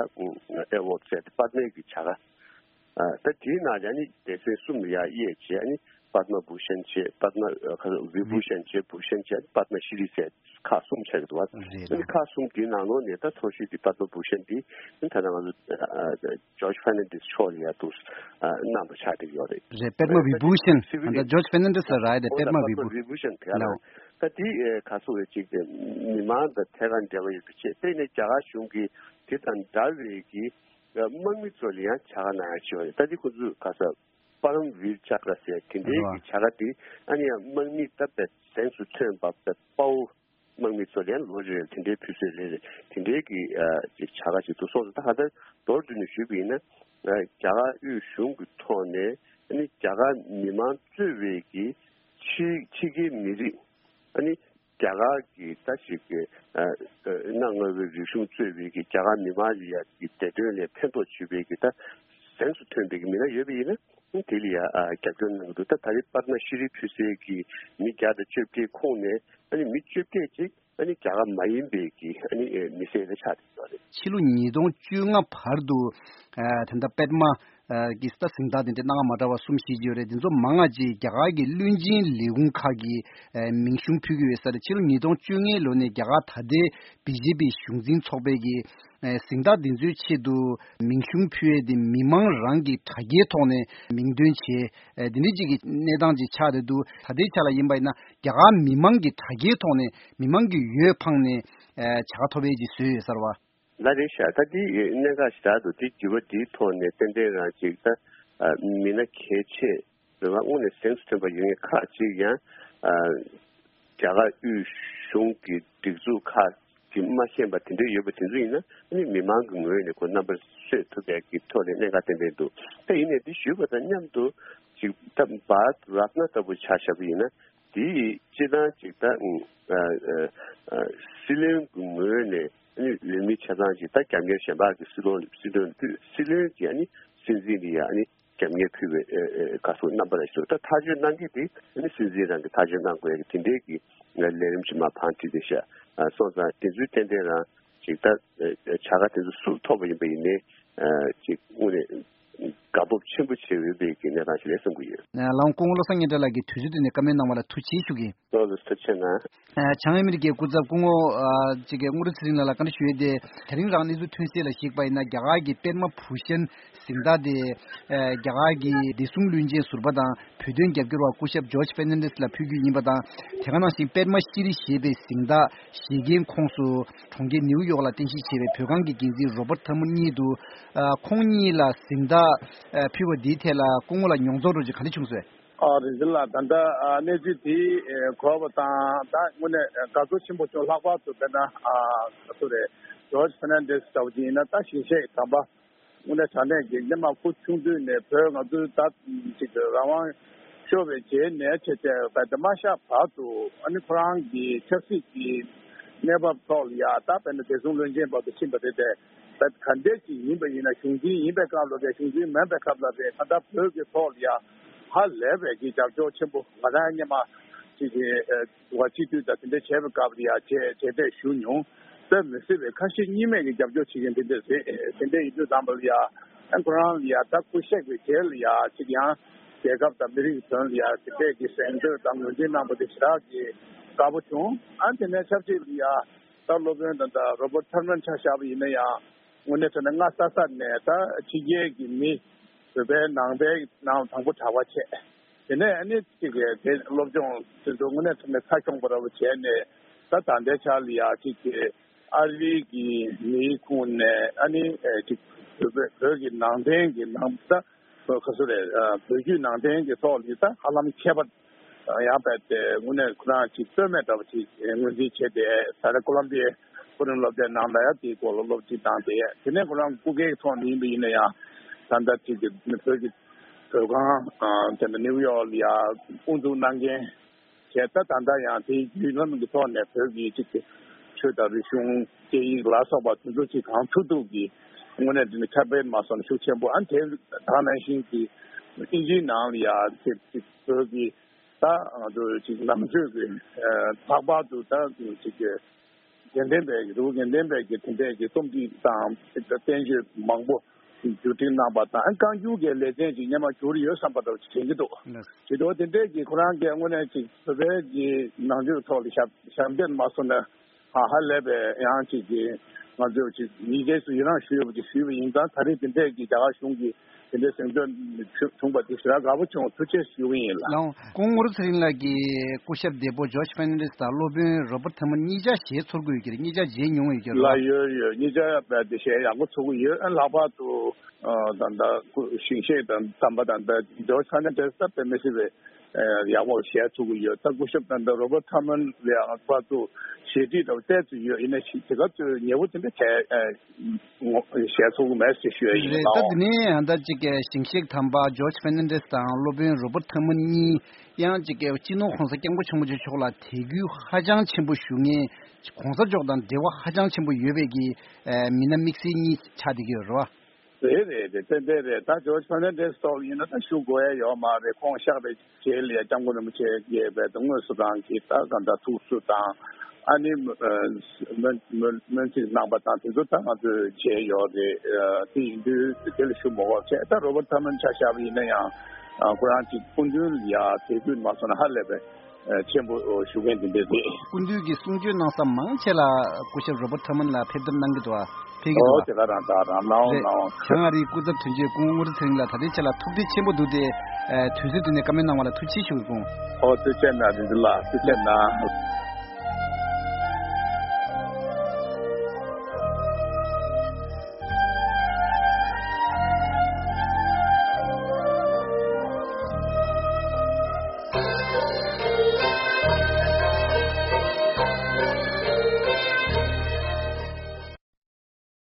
ཨེ་ཝོཌ་ཟེར་ཏེ་པདྨའི་གི་བྱ་དགའ་ད་དེའི་ནང་ལ་ཨ་ནི་སྡེ་ཚན་གསུམ་ལ་ཡ་དབྱེ་བྱས་ཨ་ནི་པདྨ་བྷུ་ཤན་བྱས། པདྨ་ཨ་ཁ་བི་བྷུ་ཤན་བྱས། བྷུ་ཤན་བྱས། ཨ་ནི་པདྨ་ཤྲི་ཟེར། ཁག་གསུམ་ཆགས་ཀྱི་འདུག་བ། རེད། ཨ་ནི་ཁག་གསུམ་དེའི་ནང་ལོགས་ནས་ད་མཐོ་ཤོས་དེ་པདྨ་བྷུ་ཤན་དེ་ཨ་ནི་ད་ལྟ་ང་ཚོ་ཇོརྗ་ཕེར་ནན་ཌེས་མཆོག་ལ་ཡ་འདུག་གནང་བ་ཆགས་བསྡད་ཡོད་རེད། རེད། པདྨ་བི་བྷུ་ཤན། ཨ་ད་ཇོརྗ་ཕེར་ནན་ཌེས་ལ་རག་ཡ་དེ་པདྨ་བི་བྷུ། བི་བྷུ་ཤན་དེ་ལ། ལའོ། ད་དེ་ཁ་སོ་བའི་ཅིག་མི་མང་དང་ཐད་ཀར་འབྲེལ་བ་ཡོད་པའི་ཆེད་དེ་ནས་རྒྱ་གར་གཞུང་གིས་དེ་དང་འདྲ་བའི་གི་དམག་མི་ཚོ་ལ་ཡང་བྱ་དགའ་གནང་ཡ་བྱས་པ་རེད། ད་དེ་ཁོ་ཚོས་ཁ་ས་པ་རམ་བིར་ཅཀྲ་ཟེར་དེ་འདྲའི་གི་བྱ་དགའ་དེ་ཨ་ནི་ཡང་དམག་མི་ད་དཔེ་གཟེངས་སུ་ཐོན་པ་དཔའ་བོ་དམག་མི་ཚོ་ལ་ཡང་ལོ་རེ་རེ་དེ་འདྲའི་ཕུལ་སྲོལ་རེ་རེ་དེ་འདྲའི་གི་ཨ་ཅིག་བྱ་དགའ་ཅིག་འདུག་སོང་ཙང་ད་ག་ད་མདོར་བསྡུས་ནས་ཞུས་པ་ཡིན་ན་ཨ་རྒྱ་གར་དབུས་གཞུང་གི་ཐོག་ནས་ཨ་ནི་རྒྱ་གར་མི་མང་གཙོས་པའི་གི་ཕྱི་ཕྱི་རྒྱལ་མི་རིགས་ཨ་ནི་རྒྱ་གར་གྱི་ད་ཞིག་གི་ཨ་ཨ་གནའ་སྔ་བའི་རིག་གཞུང་གཙོས་པའི་གི་རྒྱ་གར་མི་མང་ལ་ཡ་གི་བདེ་དོན་ལ་ཕན་ཐོགས་བྱེད་པའི་གི་ད་གཟེངས་སུ་ཐོན་པའི་གི་མི་སྣ་ཡོད་པ་ཡིན་ན་དེ་ལ་ཡ་ཨ་རྒྱབ་སྐྱོར་གནང་གི་འདུག་ད་ད་རེས་པདྨ་ཤྲི་ཕུལ་སའི་གི་མི་བརྒྱ་དང་བཅོ་བརྒྱད་ཁོངས་ནས་ཨ་ནི་མི་བཅོ་བརྒྱད་ཅིག་ཨ་ནི་རྒྱ་གར་མ་ཡིན་པའི་གི་ཨ་ནི་ཨེ་མི་སེར་ལ་ཆགས་བསྡད་ཡོད་རེད། ཕྱི་ལོ་ཉིས་སྟོང་བཅོ་ལྔ་བར་དུ་ཨ་ད་ལྟ་པདྨ་ཨ་གི་ད་གཟེངས་རྟགས་དེ་འདྲ་སྣ་ཁ་མ་འདྲ་བ་གསུམ་བཞི་ཅིག་ཡོད་རེད། དེ་ཚོ་མང་བ་ཅིག་རྒྱ་གར་གྱི་བློན་ཆེན་ལས་ཁུངས་ཁག་གིས་ཨ་མིང་གཞུང་ཕུལ་གྱི་ཡོད་ས་རེད། ཕྱི་ལོ་ཉིས་སྟོང་བཅོ་ལྔའི་ལོ་ནས་རྒྱ་གར་ད་ལྟའི་བི་ཇེ་པི་གཞུང་འཛིན་ཚོགས་པས་ཀྱི་ཨ་གཟེངས་རྟགས་འདི་ཚོའི་ཆེད་དུ་མིང་གཞུང་ཕུལ་ཡས་དེ་མི་མང་རང་གི་དྲ་རྒྱའི་ཐོག་ནས་མིང་འདོན་བྱས། ཨ་འདི་འདྲ་ཅིག་གི་གནས་སྟངས་ཅིག་ཆགས་བསྡད་འདུག་ད་ལྟའི་ཆ་ལ་ཡིན་པ་ཡིན་ན་རྒྱ་གར་མི་མང་གི་དྲ་རྒྱའི་ཐོག་ནས་མི་མང་གི་འོས་འཕངས་ནས་ཨ་བྱ་དགའ་ཐོབ་ཡས་ཅིག་བཟོས་ཡོད་ས་རེད་བ། ལགས་རེད་ཤག་ད་འདི་གནད་འགག་ཞེ་དྲག་འདུག་དེ་དྲི་བ་འདིའི་ཐོག་ནས་ཏན་ཏན་རང་ཅིག་ད་ཨ་མི་སྣ་གལ་ཆེ་རེད་བ། དངོས་གནས་གཟེངས་སུ་ཐོན་པ་ཡོད་མཁན་ཁག་ཅིག་ཡང་ཨ་ རྒྱ་གར་དབུས་གཞུང་གི་སྒྲིག་འཛུགས་ཁག་གིས་མ་ཤེས་པ་དེ་འདྲ་ཡོད་པ་དེ་ཚོ་ཡིན་ན། ཨ་ནི་མི་མང་གི་ངོས་ནས་ཁོ་རྣམ་པར་གསོད་ཐུབ་པའི་གི་ཐོག་ནས་གནད་འགག་ཏན་ཏན་འདུག་ད་ཡིན་ནའི་འདི་ཞུས་པ་དང་མཉམ་དུ་ཅིག་ད་བྷ་རཏ་རཏྣ་ལྟ་བུ་ཆ་བཞག་པ་ཡིན་ན། དེ་ཡིས་སྤྱིར་བཏང་ཅིག་ད་ཨ་ཨ་ཨ་སྲིད་བློན་གྱི་ངོས་ནས་ཨ་ནི་འོས་མི་ཆ་ཚང་ཅིག་ད་རྒྱབ་གཉེར་གཞན་པ་གི་སྲིད་བློན་སྲིད་དོན་སྲིད་བློན་གྱིས་ཨ་ནི་སྲིད་འཛིན་འདི་ཡ་ཨ་ནི་རྒྱབ་གཉེར་ཕུལ་བའི་ཨ་ཨ་བཀའ་ཟུར་རྣམ་པ་ལ་ཞུ། ད་ཐག་གཅོད་གནང་མཁན་དེ་ཨ་ནི་སྲིད་འཛིན་རང་གིས་ཐག་གཅོད་གནང་དགོས་ཡ་གི་དེ་འདྲའི་གི་ལས་རིམ་ཅིག་མར་བང་བསྒྲིགས་བསྡད་ཤག་ཨ་སོང་ཙང་དེ་ཚོའི་ཏན་ཏན་རང་ཅིག་ད་ཨ་ཨ་བྱ་དགའ་དེ་ཚོ་སུར་ཐོབ་པ་ཡིན་པ་ཡིན་ནའི་ཨ་ཅིག་དངོས་གནས་དགའ་སྤོབས་ཆེན་པོ་བྱེད་འོས་པའི་གི་གནས་སྟངས་ཤིག་རེད་བསམ་གྱི་ཡོད། ལགས་སྐུ་ངོ་བློ་བཟང་སྙན་གྲགས་ལགས་ཀྱིས་དུས་ཚོད་བཏོན་ནས་བཀའ་མོལ་གནང་བ་ལ་ཐུགས་རྗེ་ཆེ་ཞུ་གི་ཡིན། ལགས་ལགས་ཐུགས་རྗེ་གནང་། ཨ་བྱང་ཨ་མི་རི་ཀའི་སྐུ་ཚབ་སྐུ་ངོ་ཨ་ཅིག་གི་དངུལ་ལྷུན་ཚེ་རིང་ལགས་ལ་བཀའ་འདྲི་ཞུ་ཡས་དེ། དེ་རིང་རང་གནས་ཚུལ་ཐོན་གསལ་ལ་གཞིགས་པ་ཡིན་ན། རྒྱ་གར་གྱི་པདྨ་བྷུ་ཤན་གཟེངས་རྟགས་དེ་ཨ་རྒྱ་གར་གྱི་བདེ་སྲུང་བློན་ཆེན་ཟུར་པ་དང་བོད་དོན་རྒྱབ་སྐྱོར་བ་སྐུ་ཞབས་ཇོརྗ་ཕེར་ནན་ཌེས་ལ་ཕུལ་རྒྱུ་ཡིན་པ་དང་། དེ་ག་ནང་བཞིན་པདྨ་ཤྲི་ཞེས་པའི་གཟེངས་རྟགས་བཞེས་མཁན་ཁོངས་སུ་གྲོང་ཁྱེར་ནིའུ་ཡོག་ལ་རྟེན་གཞི་བྱས་པའི་བོད་ཁང་གི་འགན་འཛིན་རོ་བར་ཐེར་མན་གཉིས་འདུག་ཨ་ཁོང་གཉིས་ལ་གཟེངས་རྟགས་ཨ་ཕུལ་བ་འདིའི་ཐད་ལ་སྐུ་ངོ་ལ་མྱོང་ཚོར་འདྲ་ཅིག་ག་འདྲ་བྱུང་སོང་། ཨ་རིན་ཆེན་ལགས། ད་ལྟ་ཨ་གནས་ཚུལ་དེ་ཨེ་གོ་བ་དང་ད་དངོས་གནས་དགའ་ཚོར་ཆེན་པོ་བྱུང་། ལྷག་པར་དུ་དཔེར་ན་ཨ་ག་ཚོད་རེད། ཇོརྗ་ཕེར་ནན་ཌེས་ལྟ་བུ་ཅིག་ཡིན་ན། ད་ཞིང་གཤེགས་དམ་པ་དངོས་གནས་དྲང་གནས་ཀྱི་སྔོན་མ་སྐུ་ཆུང་དུས་ནས་བོད་ང་ཚོའི་ད་ཅིག་རང་དབང་ཤོར་བའི་རྗེས་ནས་བྱས་བྱས་བལ་དུ་མ་ཤར་བར་དུ་ཨ་ནི་ཁོ་རང་གི་ཆབ་སྲིད་ཀྱི་གནས་བབ་ཐོག་ལ་ཡ་ད་དཔེར་ན་བདེ་སྲུང་བློན་ཆེན་བར་དུ་ཕྱིན་པ་རེད་དེ། ད་ག་འདྲས་ཅིག་ཡིན་པ་ཡིན་ན། གཞུང་འཛིན་ཡིན་པའི་སྐབས་ལ་རེད། གཞུང་འཛིན་མིན་པའི་སྐབས་ལ་རེད། ད་ལྟ་བོད་ཀྱི་ཐོག་ལ་ཡ་ཧ་ལས་པའི་གི་རྒྱབ་སྐྱོར་ཆེན་པོ། ང་རང་སྔོན་མ་ཅིག་གི་ཨ་འདུ་བ་སྤྱི་འཐུས་དང་དེ་འདྲ་བྱས་པའི་སྐབས་ལ་ཡ་བྱས་བྱས་བསྡད་ཞུ་མྱོང་། དཔེ་མི་སྲིད་པའི་ཁ་ཞེ་གཉིས་མེད་ཀྱི་རྒྱབ་སྐྱོར་བྱེད་མཁན་དེ་འདྲ་རེད། དེ་འདྲ་ཡིན་དུས་ཙམ་པ་ལ་ཡ་ཨ་ཁོ་རང་ལ་ཡ་ད་སྐུ་གཤེགས་པའི་རྗེས་ལ་ཡ་ཅིག་ཡང་རྒྱལ་ཁབ་དང་མི་རིགས་དོན་ལ་ཡ་དེ་འདྲས་ཀྱི་གཟེངས་བསྟོད་དང་ངོས་འཛིན་གནང་པ་དེ་ཞེ་དྲག་གི་དགའ་པོ་བྱུང་། ཨ་དེ་ནས་ཆབས་ཅིག་ལ་ཡ་ད་སློབ་དཔོན་དང་ད་རོ་བར་ཐེར་མན་ཆ་བཞག་པ་ཡིན་ན་ཡང་། དངོས་གནས་དྲང་གནས་སྔ་ས་ས་ནས་ད་ཕྱི་རྒྱལ་གྱི་མི། བོད་པའི་ནང་པའི་ནང་དང་པོ་གྲྭ་པ་བྱས། དེ་ནས་ཨ་ནི་གཅིག་གི་དེ་སློབ་སྦྱོང་དེ་ཚོ་དངོས་གནས་དྲང་གནས་ཚ་ཤོང་པ་འདྲ་བོ་བྱས་ནས། ད་ད་ལྟའི་ཆ་ལ་ཡ་གཅིག་གི་ཨ་རིའི་གི་མིའི་ཁོངས་ནས་ཨ་ནི་ཨེ་གཅིག་བོད་པའི་བོད་ཀྱི་ནང་བསྟན་གྱི་ནང་ད་ཁ་སོ་རེད། བོད་བརྒྱུད་ནང་བསྟན་གྱི་ཐོག་ལ་ད་ཧ་ལམ་མཁས་པ་ཡང་བས་ཏེ་དངོས་གནས་ཁོ་རང་ཅིག་རྩོད་མེད་འདྲ་བ་ཅིག་ངོས་འཛིན་བྱས་ཏེ། ད་ལྟ་ཀོ་ལམ་བི་ཡའི་མཐོ་རིམ་སློབ་གྲྭའི་ནང་ལ་ཡང་དེའི་སྐོར་ལ་སློབ་ཁྲིད་བཏང་སྟེ། དེ་ནས་ཁོ་རང་སྐུ་སྒེར་གྱི་ཐོག་ནས་ཡིན་པ་ཡིན་ན་ཡང་། ད་ལྟ་ཅིག་གི་བོད་ཀྱི་བོད་ཁང་དེ་ནས་ནིའུ་ཡོག་ལ་ཡང་དབུ་འཛུགས་གནང་མཁན་བྱས། ད་ད་ལྟ་ཡང་དེའི་བརྒྱུད་ལམ་གྱི་ཐོག་ནས་བོད་ཀྱི་ཅིག་གི་ཆོས་དང་རིག་གཞུང་སྐད་ཡིག་ལ་སོགས་པ་དེ་ཚོ་ཅིག་གང་ཐུབ་ཐུབ་ཀྱིས་དངོས་གནས་དེ་ནི་ཁྱབ་སྤེལ་མ་སོང་ན་ཤུགས་ཆེན་པོ། ཨ་ནི་དེ་ད་ནང་བཞིན་གྱི་དབྱིན་ཇིའི་ནང་ལ་ཡང་ཅིག་ཅིག་བོད་ཀྱི་ད་ང་ཚོ་ཅིག་ནང་ཆོས་ཀྱི་ལྷག་པར་དུ་ད་ཅིག་གི་དགེ་ལྡན་པའི་རི་བོ་དགེ་ལྡན་པའི་གི་དེ་འདྲའི་གི་རྩོམ་སྒྲིག་དང་བསྟན་བཅོས་མང་པོ་བསྒྱུར་སྒྲིག་གནང་པ་དང་། བཀའ་འགྱུར་གྱི་ལེ་ཚན་ཅིག་སྔོན་མ་བསྒྱུར་ཡོད་བསམ་པ་འདྲ་བོ་ཅིག་དྲན་གྱི་འདུག་ལགས། དེ་འདྲ་དེ་འདྲའི་གི་ཁོ་རང་གི་དངོས་གནས་ཅིག་བོད་པའི་གི་ནང་ཆོས་ཐོག་ལ་ཞབས་ཞབས་འདེགས་མ་སོང་ན། ཧ་ཧ་ལས་པའི་ཡང་ཅིག་གི་ང་ཚོས་ཅིག་ཡི་གེ་སུ་ཡི་རངས་ཞུས་ཡོད་པ་ཅིག་ཞུས་པ་ཡིན་ཙང་། ད་རེས་དེ་འདྲའི་གི་རྒྱ་གར་གཞུང་གི་དེ་འདྲའི་གཟེངས་བསྟོད་བྱུང་བྱུང་བ་དེ་ཞེ་དྲག་དགའ་པོ་བྱུང་། ཐུགས་རྗེ་ཆེ་ཞུ་གི་ཡིན་ལགས། ལགས། སྐུ་ངོ་རུ་ཚེ་རིང་ལགས་ཀྱིས་སྐུ་ཞབས་འདས་པོ་ཇོརྗ་ཕེར་ནན་ཌེས་དང་སློབ་དཔོན་རོ་བར་ཐེར་མན་གཉིས་ཆ་ཞལ་ཚོར་གྱི་ཡོད་ཀྱི་རེད། གཉིས་ཆ་མཇལ་མྱོང་ཡོད་ཀྱི་རེད། ལགས། ཡོད་ཡོད། གཉིས་ཆ་དཔེ་དེ་ཞལ་ཡག་པོ་ཚོར་གྱི་ཡོད། ཨ་ལྷག་པར་དུ་ཨ་ད་ལྟ་སྐུ་ཞིང་གཤེགས་དང་དམ་པ་དང་། ད་ཇོརྗ་ཕེར་ནན་ཌེས་ད་དཔེ་མི་སྲིད་པའི་ཨ་ཡག་པོ་ཞལ་ཚོར་གྱི་ཡོད། ད་སྐུ་ཞབས་དང་ད་རོ་བར་ཐེར་མན་ལ་ཡང་ཕར་ཚུར་ཞལ་འདྲིས་དང་བལྟས་ཚུལ་ཡོད། ཡིན་ན་ཞིག་དེ་ག་ཚོད་ཉེ་བོ་དེ་འདྲ་བྱས་ཞལ་ཚོར་གྱི་མེད་ཟེར་ཞུ་ཡ་ཡིན། རེད། ད་ལགས། དེ་ནས་ད་ཅིག་གི་ཞིང་གཤེགས་དམ་པ་ཇོརྗ་ཕེར་ནན་ཌེས་དང་སློབ་དཔོན་རོ་བར་ཐེར་མན་གཉིས་ཡང་ཅིག་གི་སྤྱི་ནོར་༸གོང་ས་༸སྐྱབས་མགོན་ཆེན་པོ་མཆོག་ལ་དད་གུས་ཧ་ཅང་ཆེན་པོ་ཞུ་མཁན།༸གོང་ས་མཆོག་དང་འབྲེལ་བ་ཧ་ཅང་ཆེན་པོ་ཡོད་པའི་གི་མི་སྣ་དམིགས་བསལ་གཉིས་ཆགས་བསྡད་ཀྱི་ཡོད་རེད་བ། རེད་རེད་རེད། ཏན་ཏན་རེད། ད་ཇོརྗ་ཕེར་ནན་ཌེས་ཐོག་ཡིན་ན་ད་ཞུ་དགོས་ཡ་ཡོད་མ་རེད། ཁོང་གཤེགས་པའི་རྗེས་ལ་ཡ་སྐྱབས་མགོན་རིན་པོ་ཆེ་གིས་དཔེ་དེ་དངོས་སུ་རང་གིས་ད་གང་ལྟར་ཐུགས་གསོ་དང་། ཨ་ནི་སྨོན་སྨོན་སྨོན་ཚིག་གནང་པ་དང་དེ་ཚོ་ད་ང་ཚོས་བྱས་ཡོད་རེད། དེ་ཡིན་དུས་དེ་ལ་ཞུ་མ་དགོས་བྱས། ད་རོ་བར་ཐེར་མན་ཆ་བཞག་པ་ཡིན་ན་ཡང་ཁོ་རང་གཅིག་སྐུ་མདུན་ལ་ཡ་དད་གུས་མ་སོང་ན་ཧ་ལས་པའི་ཆེན་པོ་ཞུ་མཁན་དེ་འདྲ་རེད། སྐུ་མདུན་གྱིས་གསུང་ཆོས་གནང་ས་མང་ཆེ་ལ་སྐུ་ཞབས་རོ་བར་ཐེར་མན་ལ་ཕེབས་གཏམ་གནང་གི་འདུག་ཨ། ཕེབས་ཀྱི་འདུག་ཨ། ཨོ་དེ་ག་རང་ད་རང་གནང་། རེད། གནང་། བྱང་ཨ་རིའི་སྐུ་ཚབ་དོན་གཅོད་སྐུ་ངོ་དངུལ་ལྷུན་ཚེ་རིང་ལགས་ད་ལྟའི་ཆ་ལ་ཐུགས་རྗེ་ཆེན་པོ་འདུག་སྟེ། ཨ་དུས་ཚོད་བཏོན་ནས་བཀའ་མོལ་གནང་བ་ལ་ཐུགས་རྗེ་ཆེ་ཞུ་གི་ཡིན། ཨོ་ཐུགས་རྗེ་གནང་། རིན་ཆེན་ལགས་ཐུགས་རྗེ་གནང་།